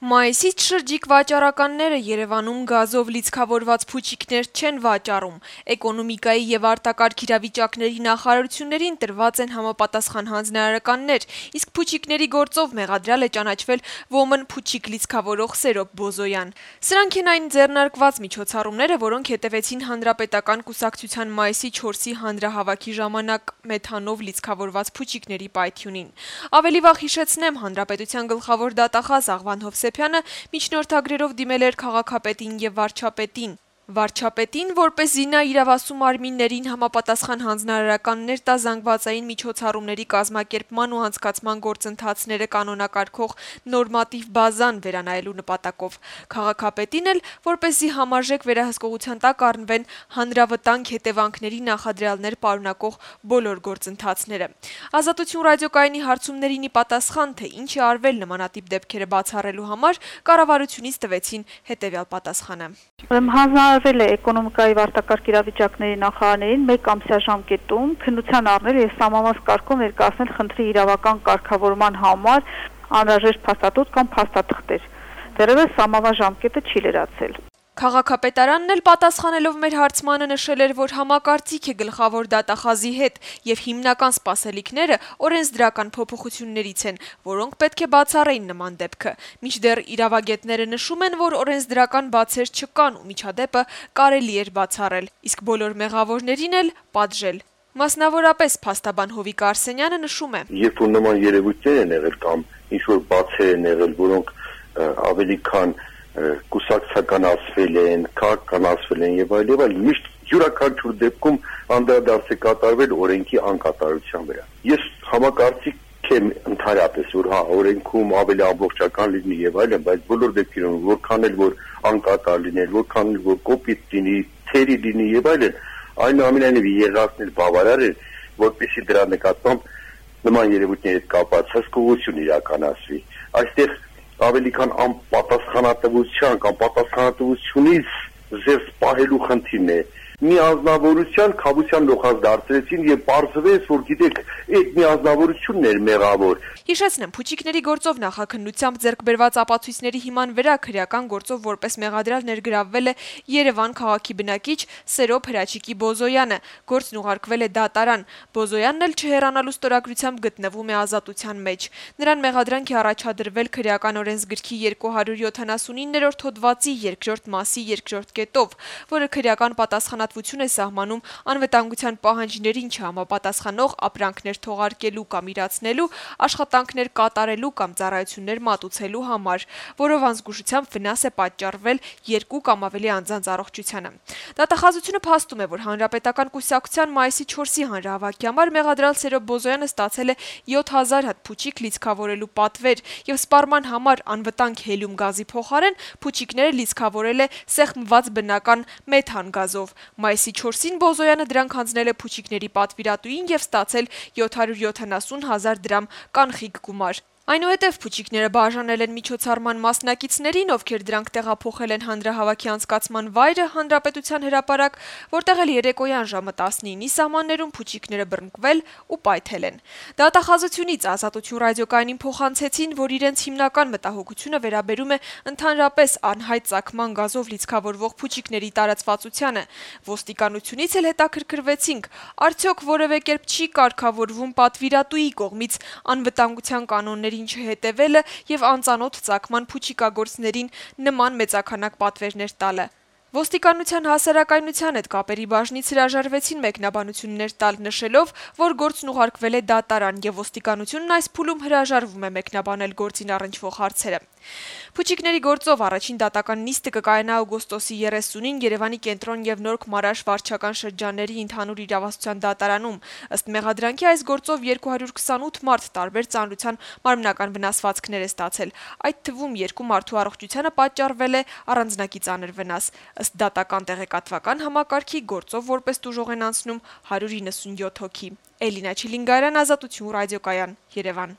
Մայիսից շրջիկ վաճառականները Երևանում գազով լիցքավորված փուչիկներ չեն վաճառում։ Էկոնոմիկայի եւ արտակարգ իրավիճակների նախարարություններին տրված են համապատասխան հանձնարարականներ, իսկ փուչիկների գործով մեղադրյալ է ճանաչվել ոմն փուչիկ լիցքավորող Սերոբ Բոզոյան։ Սրանք են այն ձեռնարկված միջոցառումները, որոնք հետևեցին Հանրապետական կուսակցության մայիսի 4-ի հանրահավաքի ժամանակ մեթանով լիցքավորված փուչիկների պայթյունին։ Ավելի վաղ հիշեցնեմ, Հանրապետության գլխավոր դատախազ Աղվան Հովսեփյանը միջնորդագրերով դիմել էր քաղաքապետին եւ վարչապետին։ Վարչապետին, որպեսզի նա իրավասու մարմիններին համապատասխան հանձնարարականներ տա զանգվածային միջոցառումների կազմակերպման ու անցկացման գործընթացները կանոնակարգող նորմատիվ բազան վերանայելու նպատակով։ Քաղաքապետին էլ, որպեսզի համարժեք վերահսկողության տակ առնվեն հանրավտանգ հետևանքների նախադրյալներ պարունակող բոլոր գործընթացները։ Ազատություն ռադիոկայանի հարցումներին ի պատասխան, թե ինչ է արվել նմանատիպ դեպքերը բացառելու համար, կառավարությունից տվեցին հետևյալ պատասխանը։ Հանձնարարվել է էկոնոմիկայի արտակարգ իրավիճակների նախարարներին 1 ամսյա ժամկետում քննության առնել եւ սահմանված կարգով ներկայացնել խնդրի իրավական կարգավորման համար անհրաժեշտ փաստաթուղթ կամ փաստաթղթեր։ Դեռևս սահմանված ժամկետը չի լրացել։ Քաղաքապետարանն էլ պատասխանելով մեր հարցմանը նշել էր, որ համակարծիք է գլխավոր դատախազի հետ եւ հիմնական սպասելիքները օրենսդրական փոփոխություններից են, որոնք պետք է բացառեին նման դեպքը։ Մինչդեռ իրավագետները նշում են, որ օրենսդրական բացեր չկան ու միջադեպը կարելի էր բացառել, իսկ բոլոր մեղավորներին էլ պատժել։ Մասնավորապես փաստաբան Հովիկ Արսենյանը նշում է. Երբ որ նման երևույթներ են եղել կամ ինչ որ բացեր են եղել, որոնք ավելի քան կուսակցականացվել են, քաղաքականացվել են եւ այլ, միշտ յուրաքանչյուր դեպքում անդրադարձ է կատարվել օրենքի անկատարության վրա։ Ես համակարծիք եմ ընդհանրապես, որ օրենքում ավելի ամբողջական լինի եւ այլն, բայց բոլոր դեպքերում որքան էլ որ անկատար լինել, որքան էլ որ կոպիտ լինի, թերի լինի եւ այլն, այնուամենայնիվ եղածն էլ բավարար է, որպեսզի դրա նկատմամբ նման երևույթների հետ կապված հսկողություն իրականացվի։ Այստեղ ավելի քան անպատասխանատվության կամ պատասխանատվությունից զերծ պահելու խնդիրն է։ Մի անձնավորության քավության լոխած դարձրեցին եւ պարզվեց, որ գիտեք, այդ մի անձնավորությունն էր մեղավոր։ Հիշեցնեմ, փուչիկների գործով նախաքննությամբ ձեռք բերված ապացույցների հիման վրա քրեական գործով որպես մեղադրյալ ներգրավվել է Երևան քաղաքի բնակիչ Սերոբ Հրաչիկի Բոզոյանը։ Գործն ուղարկվել է դատարան։ Բոզոյանն էլ չհեռանալու ստորագրությամբ գտնվում է ազատության մեջ։ Նրան մեղադրանք է առաջադրվել քրեական օրենսգրքի 279-րդ հոդվածի 2-րդ մասի 2-րդ կետով, որը քրեական պատասխանատվություն է սահմանում անվտանգության պահանջներին չհամապատասխանող ապրանքներ թողարկելու կամ իրացնելու, աշխատանքներ կատարելու կամ ծառայություններ մատուցելու համար, որով անզգուշությամբ վնաս է պատճառվել 2 կամ ավելի անձանց առողջությանը։ Դատախազությունը փաստում է, որ Հանրապետական կուսակցության մայիսի 4-ի հանրահավաքի համար մեղադրյալ Սերոբ Բոզոյանը ստացել է 7000 հատ փուչիկ լիցքավորելու պատվեր եւ սպառման համար անվտանգ հելիում գազի փոխարեն փուչիկները լիցքավորել է սեղմված բնական մեթան գազով։ Մայիսի 4-ին Բոզոյանը դրանք հանձնել է փուչիկների պատվիրատուին եւ ստացել 770,000 դրամ կանխիկ գումար։ Այնուհետև փուչիկները բաժանել են միջոցառման մասնակիցներին, ովքեր դրանք տեղափոխել են հանրահավաքի անցկացման վայրը Հանրապետության հրապարակ, որտեղ էլ երեկոյան ժամը 19-ի սահմաններում փուչիկները բռնկվել ու պայթել են։ Դատախազությունից Ազատություն ռադիոկայանին փոխանցեցին, որ իրենց հիմնական մտահոգությունը վերաբերում է ընդհանրապես անհայտ ծագման գազով լիցքավորվող փուչիկների տարածվածությանը։ Ոստիկանությունից էլ հետաքրքրվեցինք, արդյոք որևէ կերպ չի կարգավորվում պատվիրատուի կողմից անվտանգության կանոնների չհետևելը եւ անծանոթ ծագման փուչիկագործներին նման մեծաքանակ պատվերներ տալը։ Ոստիկանության հասարակայնության հետ կապերի բաժնից հրաժարվեցին մեկնաբանություններ տալ, նշելով, որ գործն ուղարկվել է դատարան եւ ոստիկանությունն այս փուլում հրաժարվում է մեկնաբանել գործին առնչվող հարցերը։ Փուչիկների գործով առաջին դատական նիստը կկայանա օգոստոսի 30-ին Երևանի կենտրոն եւ Նոր Քմարաշ վարչական շրջանների ընդհանուր իրավասության դատարանում։ Ըստ մեղադրանքի այս գործով 228 մարդ տարբեր ծանրության մարմնական վնասվածքներ է ստացել։ Այդ թվում 2 մարդու առողջությանը պատճառվել է առանձնակի ծանր վնաս։ Ըստ դատական տեղեկատվական համակարգի գործով որպես տուժող են անցնում 197 հոգի։ Էլինա Չիլինգարյան, Ազատություն ռադիոկայան, Երևան։